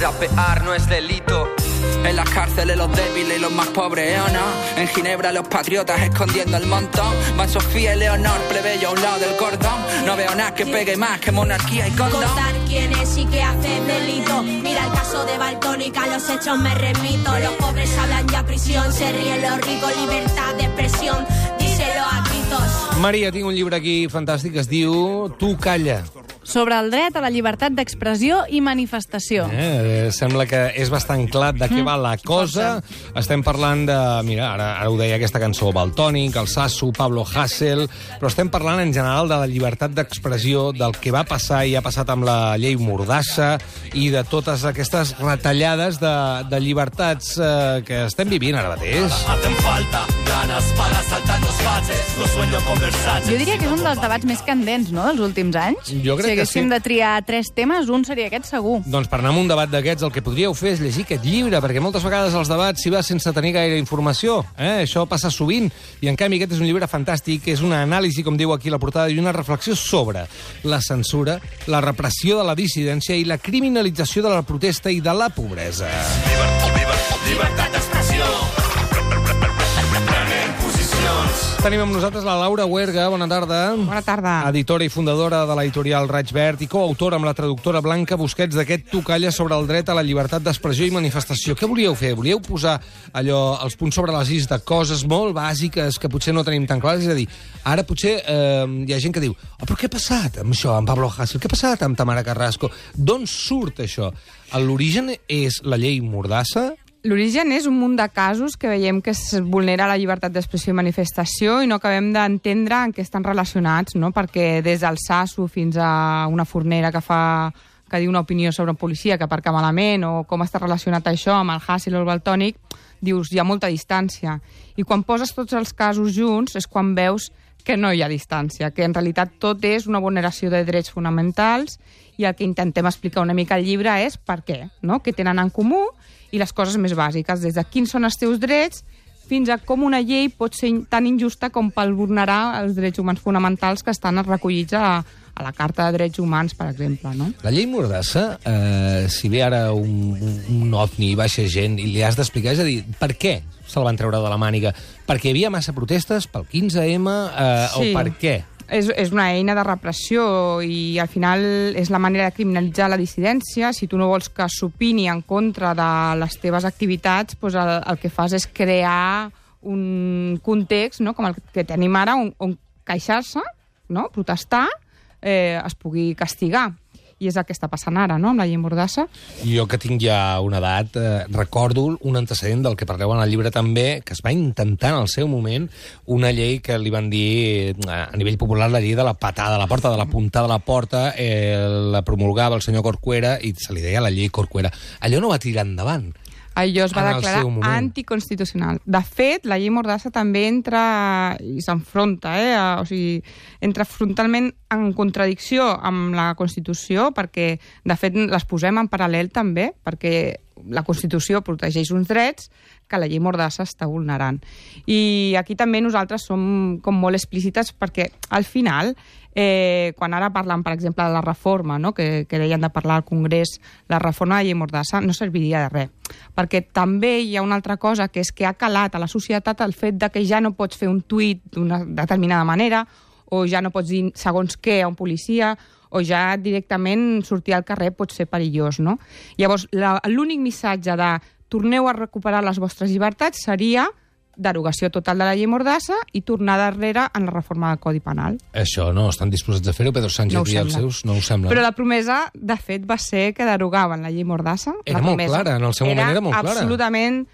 rapear no es delito. En las cárceles los débiles y los más pobres, ¿o no? En Ginebra los patriotas escondiendo el montón. Van Sofía y Leonor, plebeyo a un lado del cordón. No veo nada que pegue más que monarquía y condón. Contar quién es y qué hace delito. Mira el caso de Baltónica, a los hechos me remito. Los pobres hablan ya prisión, se ríen los ricos, libertad de expresión, díselo a gritos. Maria, tinc un llibre aquí fantàstic que es diu Tu calla. Sobre el dret a la llibertat d'expressió i manifestació. Sembla que és bastant clar de què va la cosa. Estem parlant de... Mira, ara ho deia aquesta cançó, Valtònic, el Sasso, Pablo Hasél, però estem parlant en general de la llibertat d'expressió, del que va passar i ha passat amb la llei Mordassa i de totes aquestes retallades de llibertats que estem vivint ara mateix. Jo diria que és un dels debats més candents, no?, dels últims anys. Jo crec si haguéssim de triar 3 temes, un seria aquest segur. Doncs per anar a un debat d'aquests el que podríeu fer és llegir aquest llibre, perquè moltes vegades els debats s'hi va sense tenir gaire informació. Això passa sovint, i en canvi aquest és un llibre fantàstic, és una anàlisi, com diu aquí la portada, i una reflexió sobre la censura, la repressió de la dissidència i la criminalització de la protesta i de la pobresa. Llibertat d'expressió. Tenim amb nosaltres la Laura Huerga. Bona tarda. Bona tarda. Editora i fundadora de l'editorial Raig Verd i coautora amb la traductora Blanca Busquets d'aquest Tu calla sobre el dret a la llibertat d'expressió i manifestació. Què volíeu fer? Volíeu posar els punts sobre les is de coses molt bàsiques que potser no tenim tan clares? És a dir, ara potser hi ha gent que diu però què ha passat amb això, amb Pablo Hasél? Què ha passat amb Tamara Carrasco? D'on surt això? L'origen és la llei Mordassa? L'origen és un munt de casos que veiem que es vulnera la llibertat d'expressió i manifestació i no acabem d'entendre en què estan relacionats, no? Perquè des del Sasso fins a una fornera que diu una opinió sobre un policia que aparca malament o com està relacionat això amb el Hasél o el Valtònic, dius, hi ha molta distància. I quan poses tots els casos junts és quan veus que no hi ha distància, que en realitat tot és una vulneració de drets fonamentals i el que intentem explicar una mica al llibre és per què, no? Què tenen en comú i les coses més bàsiques, des de quins són els teus drets fins a com una llei pot ser tan injusta com per vulnerar els drets humans fonamentals que estan recollits a la Carta de Drets Humans, per exemple, no? La llei Mordassa, si ve ara un ovni i baixa gent i li has d'explicar, és a dir, per què se'l van treure de la màniga? Perquè hi havia massa protestes pel 15M o per què? És una eina de repressió i al final és la manera de criminalitzar la dissidència. Si tu no vols que s'opini en contra de les teves activitats, doncs el que fas és crear un context, no?, com el que tenim ara, on queixar-se, no?, protestar, es pugui castigar. I és el que està passant ara, no?, amb la llei Mordassa. Jo, que tinc ja una edat, recordo un antecedent del que parleu en el llibre també, que es va intentar en el seu moment una llei que li van dir a nivell popular la llei de la patada a la porta, de la puntada a la porta, la promulgava el senyor Corcuera i se li deia la llei Corcuera. Allò no va tirar endavant. Allò es va declarar anticonstitucional. De fet, la llei Mordassa també entra i s'enfronta, o sigui, entra frontalment en contradicció amb la Constitució, perquè, de fet, les posem en paral·lel també, perquè la Constitució protegeix uns drets que la llei Mordassa està vulnerant. I aquí també nosaltres som com molt explícites perquè, al final, quan ara parlen, per exemple, de la reforma, no?, que deien de parlar al Congrés, la reforma de la llei Mordassa no serviria de res. Perquè també hi ha una altra cosa, que és que ha calat a la societat el fet de que ja no pots fer un tuit d'una determinada manera, o ja no pots dir segons què a un policia, o ja directament sortir al carrer pot ser perillós, no? Llavors, l'únic missatge de torneu a recuperar les vostres llibertats seria derogació total de la llei Mordassa i tornar darrere en la reforma del Codi Penal. Això no estan disposats a fer-ho, Pedro Sánchez i els seus no ho sembla. Però la promesa, de fet, va ser que derogaven la llei Mordassa. Era molt clara, en el seu moment era molt clara. Era absolutament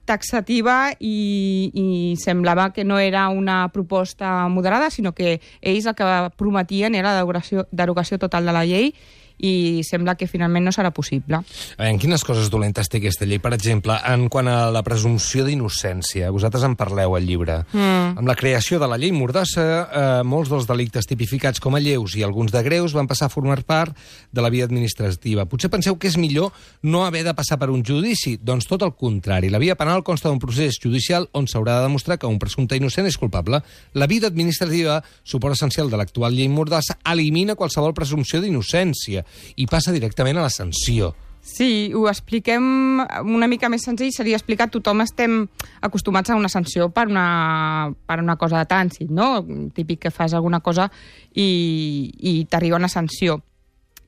taxativa i semblava que no era una proposta moderada, sinó que ells el que prometien era la derogació total de la llei i sembla que finalment no serà possible. En quines coses dolentes té aquesta llei? Per exemple, en quant a la presumpció d'innocència, vosaltres en parleu al llibre. Amb la creació de la llei Mordassa, molts dels delictes tipificats com a lleus i alguns de greus van passar a formar part de la via administrativa. Potser penseu que és millor no haver de passar per un judici? Doncs tot el contrari. La via penal consta d'un procés judicial on s'haurà de demostrar que un presumpte innocent és culpable. La via administrativa, suport essencial de l'actual llei Mordassa, elimina qualsevol presumpció d'innocència i passa directament a la sanció. Sí, ho expliquem una mica més senzill, seria explicar, tothom estem acostumats a una sanció per una cosa de trànsit, no? Típic que fas alguna cosa i t'arriba una sanció.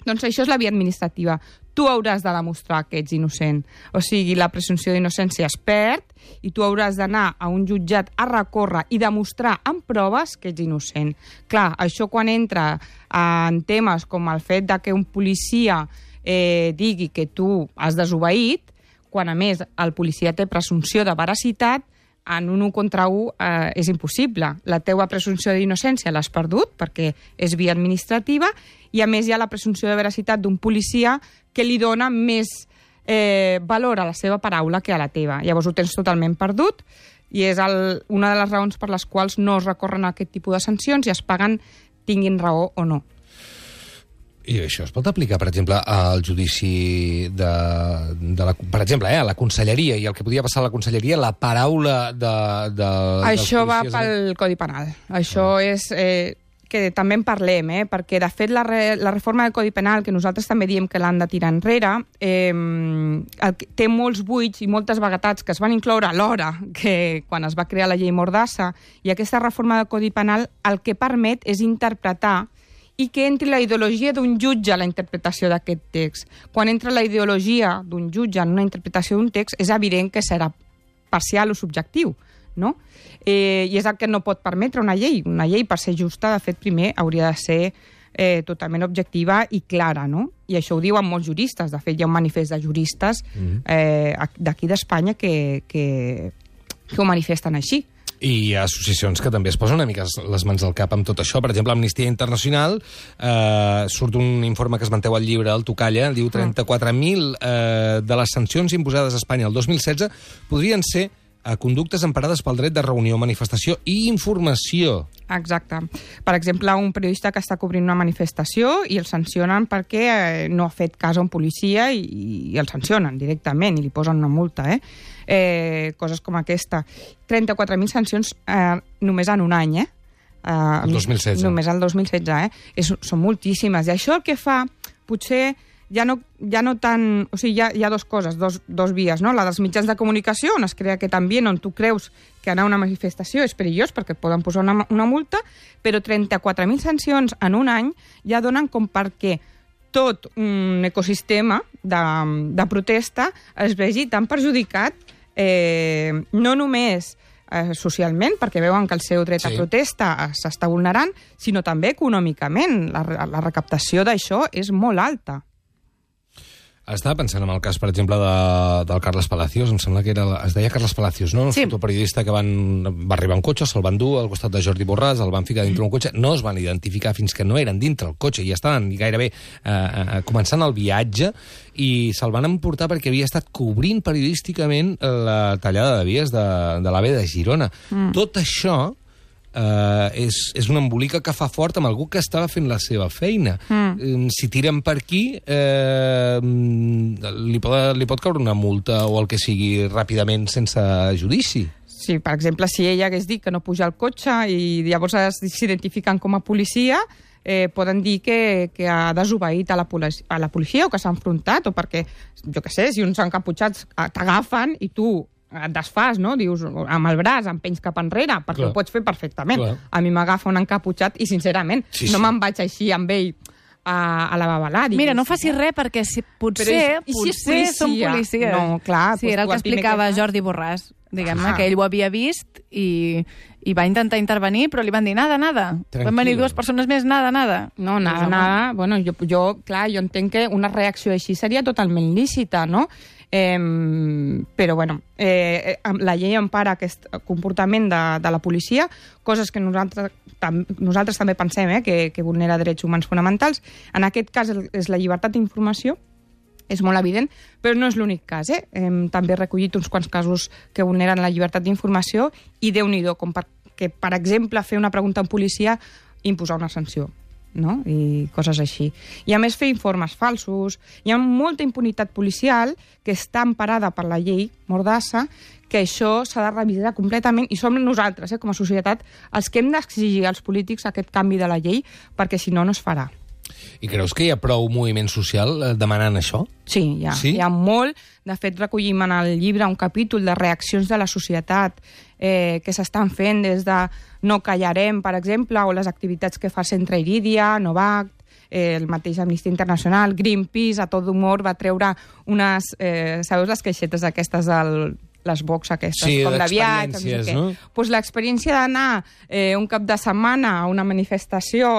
Doncs això és la via administrativa. Tu hauràs de demostrar que ets innocent. O sigui, la presumpció d'innocència es perd i tu hauràs d'anar a un jutjat a recórrer i demostrar amb proves que ets innocent. Clar, això quan entra en temes com el fet de que un policia digui que tu has desobeït, quan a més el policia té presumpció de veracitat, en un 1 contra 1 és impossible. La teua presumpció d'innocència l'has perdut perquè és via administrativa i a més hi ha la presumpció de veracitat d'un policia que li dona més valor a la seva paraula que a la teva. Llavors ho tens totalment perdut i és una de les raons per les quals no es recorren a aquest tipus de sancions i es paguen tinguin raó o no. I això es pot aplicar, per exemple, al judici per exemple, a la conselleria, i el que podia passar a la conselleria, la paraula Això va pel Codi Penal. Això és que també en parlem, perquè, de fet, la reforma del Codi Penal, que nosaltres també diem que l'han de tirar enrere, té molts buits i moltes vaguetats que es van incloure alhora que quan es va crear la llei Mordassa, i aquesta reforma del Codi Penal el que permet és interpretar i que entri la ideologia d'un jutge a la interpretació d'aquest text. Quan entra la ideologia d'un jutge en una interpretació d'un text, és evident que serà parcial o subjectiu, no? I és el que no pot permetre una llei. Una llei, per ser justa, de fet, primer hauria de ser totalment objectiva i clara, no? I això ho diuen molts juristes. De fet, hi ha un manifest de juristes d'aquí d'Espanya que ho manifesten així. I hi ha associacions que també es posen una mica les mans al cap amb tot això. Per exemple, Amnistia Internacional, surt un informe que es manteu al llibre, el Tocalla, diu 34.000 de les sancions imposades a Espanya el 2016 podrien ser conductes emparades pel dret de reunió, manifestació i informació. Exacte. Per exemple, un periodista que està cobrint una manifestació i el sancionen perquè no ha fet cas a un policia i el sancionen directament i li posen una multa, coses com aquesta. 34.000 sancions només en un any, El 2016. Només el 2016, Són moltíssimes. I això el que fa, potser ja no tant... O sigui, hi ha dues coses, dos vies, no? La dels mitjans de comunicació, on es crea aquest ambient on tu creus que anar a una manifestació és perillós perquè et poden posar una multa, però 34.000 sancions en un any ja donen com perquè tot un ecosistema de protesta es vegi tan perjudicat, no només socialment, perquè veuen que el seu dret a protesta s'està vulnerant, sinó també econòmicament. La recaptació d'això és molt alta. Estava pensant en el cas, per exemple, del Carles Palacios, em sembla que es deia Carles Palacios, no? Un fotoperiodista que va arribar en cotxe, se'l van dur al costat de Jordi Borràs, el van ficar dintre un cotxe, no es van identificar fins que no eren dintre el cotxe i estaven gairebé començant el viatge i se'l van emportar perquè havia estat cobrint periodísticament la tallada de vies de l'AVE de Girona. Tot això és una embolica que fa fort amb algú que estava fent la seva feina. Si tiren per aquí, li pot caure una multa o el que sigui ràpidament sense judici. Sí, per exemple, si ella hagués dit que no puja al cotxe i llavors s'identifiquen com a policia, poden dir que ha desobeït a la policia o que s'ha enfrontat, o perquè, jo què sé, si uns encaputxats t'agafen i tu et desfas, no? Dius, amb el braç, empenys cap enrere, perquè ho pots fer perfectament. A mi m'agafa un encaputxat i, sincerament, no me'n vaig així amb ell a la babalà. Mira, no facis res, perquè potser són policies. No, clar. Sí, era el que explicava Jordi Borràs, diguem-ne, que ell ho havia vist i va intentar intervenir, però li van dir nada. Van venir dues persones més, nada. No, nada. Bueno, jo entenc que una reacció així seria totalment lícita, no? Però, bueno, la llei empara aquest comportament de la policia, coses que nosaltres també pensem que vulnera drets humans fonamentals. En aquest cas és la llibertat d'informació, és molt evident, però no és l'únic cas. Hem també recollit uns quants casos que vulneren la llibertat d'informació i Déu-n'hi-do, com perquè, per exemple, fer una pregunta a un policia i imposar una sanció, no? I coses així. I a més fer informes falsos. Hi ha molta impunitat policial que està emparada per la llei Mordassa, que això s'ha de revisar completament i som nosaltres, com a societat, els que hem d'exigir als polítics aquest canvi de la llei, perquè si no, no es farà. I creus que hi ha prou moviment social demanant això? Sí, hi ha molt. De fet, recollim en el llibre un capítol de reaccions de la societat que s'estan fent des de No callarem, per exemple, o les activitats que fa el Centre Irídia, Novact, el mateix Amnistia Internacional, Greenpeace, A Tot Humor, va treure unes... sabeu les caixetes aquestes les box aquestes, sí, com de viatge, no? Pues l'experiència d'anar un cap de setmana a una manifestació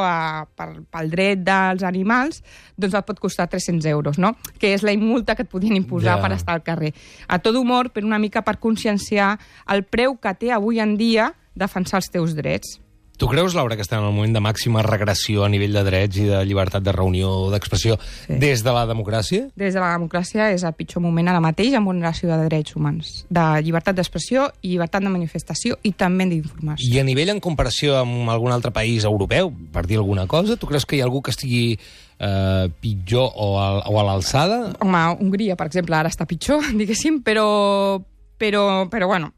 pel dret dels animals, doncs et pot costar 300 euros, no? Que és la multa que et podien imposar per estar al carrer. A Tot Humor, per una mica per conscienciar el preu que té avui en dia defensar els teus drets. Tu creus, Laura, que estem en el moment de màxima regressió a nivell de drets i de llibertat de reunió o d'expressió des de la democràcia? Des de la democràcia és el pitjor moment ara mateix en vulneració de drets humans, de llibertat d'expressió i llibertat de manifestació i també d'informació. I a nivell en comparació amb algun altre país europeu, per dir alguna cosa, tu creus que hi ha algú que estigui pitjor o a l'alçada? Home, Hongria, per exemple, ara està pitjor, diguéssim, però bueno,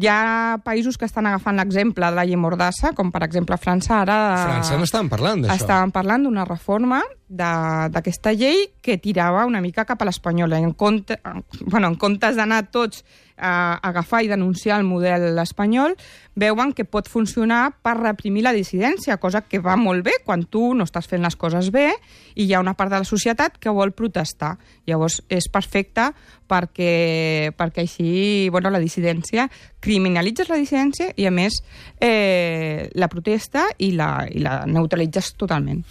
hi ha països que estan agafant l'exemple de la llei Mordassa, com per exemple França ara... França n'estaven parlant d'això. Estaven parlant d'una reforma d'aquesta llei que tirava una mica cap a l'espanyola. En comptes d'anar tots a agafar i denunciar el model espanyol, veuen que pot funcionar per reprimir la dissidència, cosa que va molt bé quan tu no estàs fent les coses bé i hi ha una part de la societat que vol protestar. Llavors és perfecte perquè així la dissidència, criminalitzes la dissidència i a més la protesta i la neutralitzes totalment.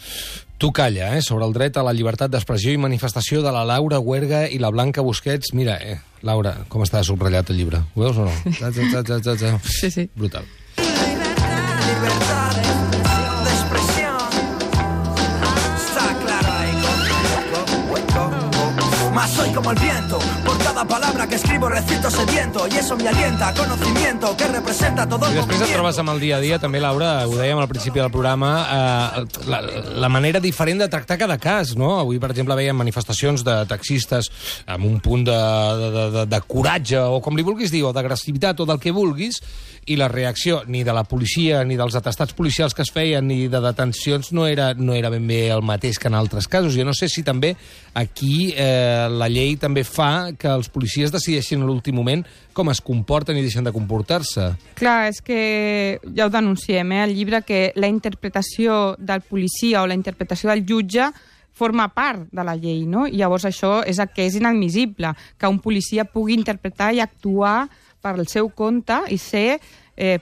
Tu calla, sobre el dret a la llibertat d'expressió i manifestació de la Laura Huerga i la Blanca Busquets. Mira, Laura, com està subratllat el llibre? Ho veus o no? Sí. Brutal. Libertad de expresión. Está claro ahí. Mas soy como el viento. Por cada palabra que escribo recito sediento y eso me alienta a conocimiento que representa todo el movimiento. I després et trobes amb el dia a dia, també, Laura, ho dèiem al principi del programa, la manera diferent de tractar cada cas, no? Avui, per exemple, veiem manifestacions de taxistes amb un punt de coratge, o com li vulguis dir, o d'agressivitat, o del que vulguis, i la reacció ni de la policia, ni dels atestats policials que es feien, ni de detencions, no era ben bé el mateix que en altres casos. Jo no sé si també aquí la llei també fa que els policies decideixin a l'últim moment com es comporten i deixen de comportar-se. Clar, és que ja ho denunciem, al llibre, que la interpretació del policia o la interpretació del jutge forma part de la llei, no? I llavors això és el que és inadmissible, que un policia pugui interpretar i actuar per el seu compte i ser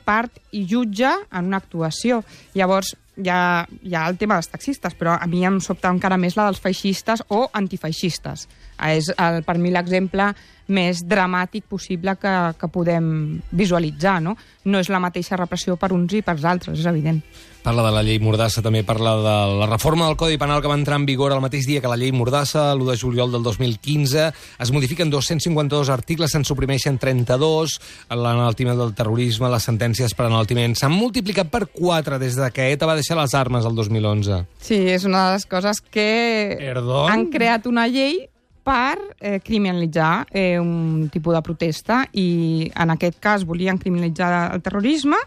part i jutge en una actuació. Llavors, hi ha el tema dels taxistes, però a mi em sobta encara més la dels feixistes o antifeixistes. És per mi l'exemple més dramàtic possible que podem visualitzar, no? No és la mateixa repressió per uns i per altres, és evident. Parla de la llei Mordassa, també parla de la reforma del Codi Penal que va entrar en vigor el mateix dia que la llei Mordassa, l'1 de juliol del 2015. Es modifiquen 252 articles, se'n suprimeixen 32. L'enaltiment del terrorisme, les sentències per enaltiment s'han multiplicat per 4 des que ETA va deixar les armes el 2011. Sí, és una de les coses que han creat una llei per criminalitzar un tipus de protesta i en aquest cas volien criminalitzar el terrorisme,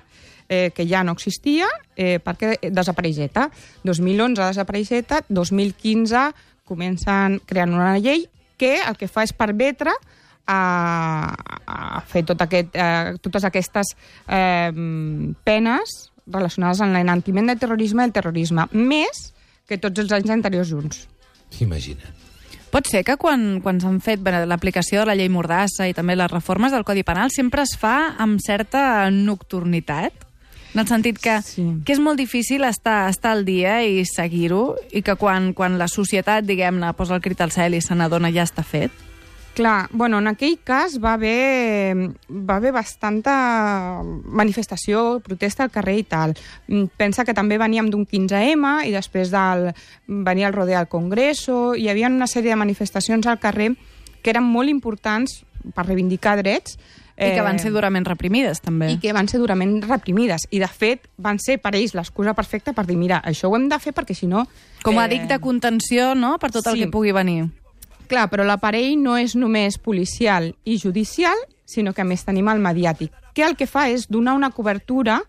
que ja no existia, perquè desapareix ETA. 2011 desapareix ETA, 2015 comencen creant una llei que el que fa és permetre a fer totes aquestes penes relacionades amb l'enaltiment del terrorisme i el terrorisme, més que tots els anys anteriors junts. Imagina't. Pot ser que quan s'han fet l'aplicació de la llei Mordassa i també les reformes del Codi Penal sempre es fa amb certa nocturnitat? En el sentit que és molt difícil estar al dia i seguir-ho i que quan la societat, diguem-ne, posa el crit al cel i se n'adona ja està fet? Clar, bueno, en aquell cas va haver bastanta manifestació, protesta al carrer i tal. Pensa que també veníem d'un 15M i després venia el rodeo al Congreso, hi havia una sèrie de manifestacions al carrer que eren molt importants per reivindicar drets. I que van ser durament reprimides, també. I que van ser durament reprimides. I, de fet, van ser per ells l'excusa perfecta per dir, mira, això ho hem de fer perquè, si no... Com a dic de contenció, no?, per tot el que pugui venir. Clar, però l'aparell no és només policial i judicial, sinó que a més tenim el mediàtic, que el que fa és donar una cobertura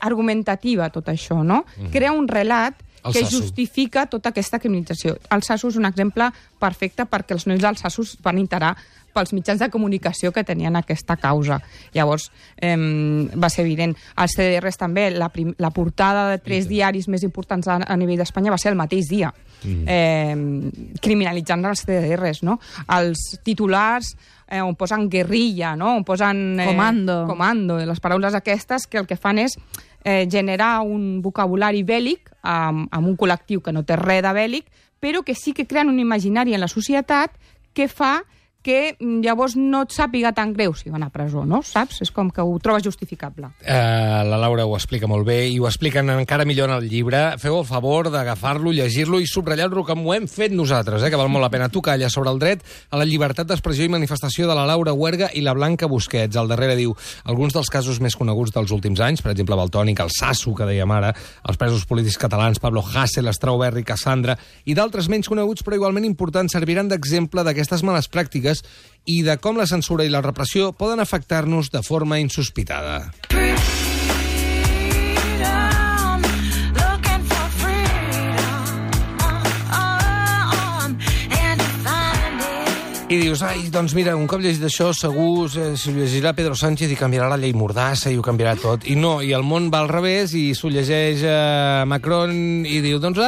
argumentativa a tot això, no? Crea un relat que justifica tota aquesta criminalització. Altsassu és un exemple perfecte perquè els nois d'Altsassu van interar pels mitjans de comunicació que tenien aquesta causa. Llavors, va ser evident. Els CDRs també, la portada de 3 diaris més importants a nivell d'Espanya va ser el mateix dia, criminalitzant els CDRs, no? Els titulars on posen guerrilla, no? On posen comando, les paraules aquestes que el que fan és generar un vocabulari bèl·lic amb un col·lectiu que no té res de bèl·lic, però que sí que creen un imaginari en la societat que fa que llavors no et sàpiga tan greu si van a presó, no? Saps? És com que ho trobes justificable. La Laura ho explica molt bé i ho expliquen encara millor en el llibre. Feu el favor d'agafar-lo, llegir-lo i subratllar-lo, com ho hem fet nosaltres, que val molt la pena. Tu calla sobre el dret a la llibertat d'expressió i manifestació de la Laura Huerga i la Blanca Busquets. Al darrere diu, alguns dels casos més coneguts dels últims anys, per exemple, Valtònyc, el Sasso, que dèiem ara, els presos polítics catalans, Pablo Hasél, Strawberry, Cassandra, i d'altres menys coneguts però igualment importants, serviran d'exemple d'aquestes males pràctiques i de com la censura i la repressió poden afectar-nos de forma insospitada. I dius, doncs mira, un cop llegit això, segur s'ho llegirà Pedro Sánchez i canviarà la llei Mordassa i ho canviarà tot. I no, i el món va al revés i s'ho llegeix Macron i diu, doncs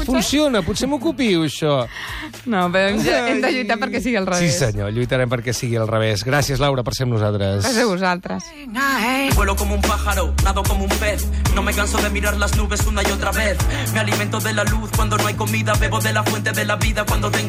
funciona, potser m'ocupiu, això. No, però hem de lluitar perquè sigui al revés. Sí, senyor, lluitarem perquè sigui al revés. Gràcies, Laura, per ser amb nosaltres. Gràcies a vosaltres. Vuelo como un pájaro, nado como un pez. No me canso de mirar las nubes una y otra vez. Me alimento de la luz cuando no hay comida, bebo de la fuente de la vida cuando tengo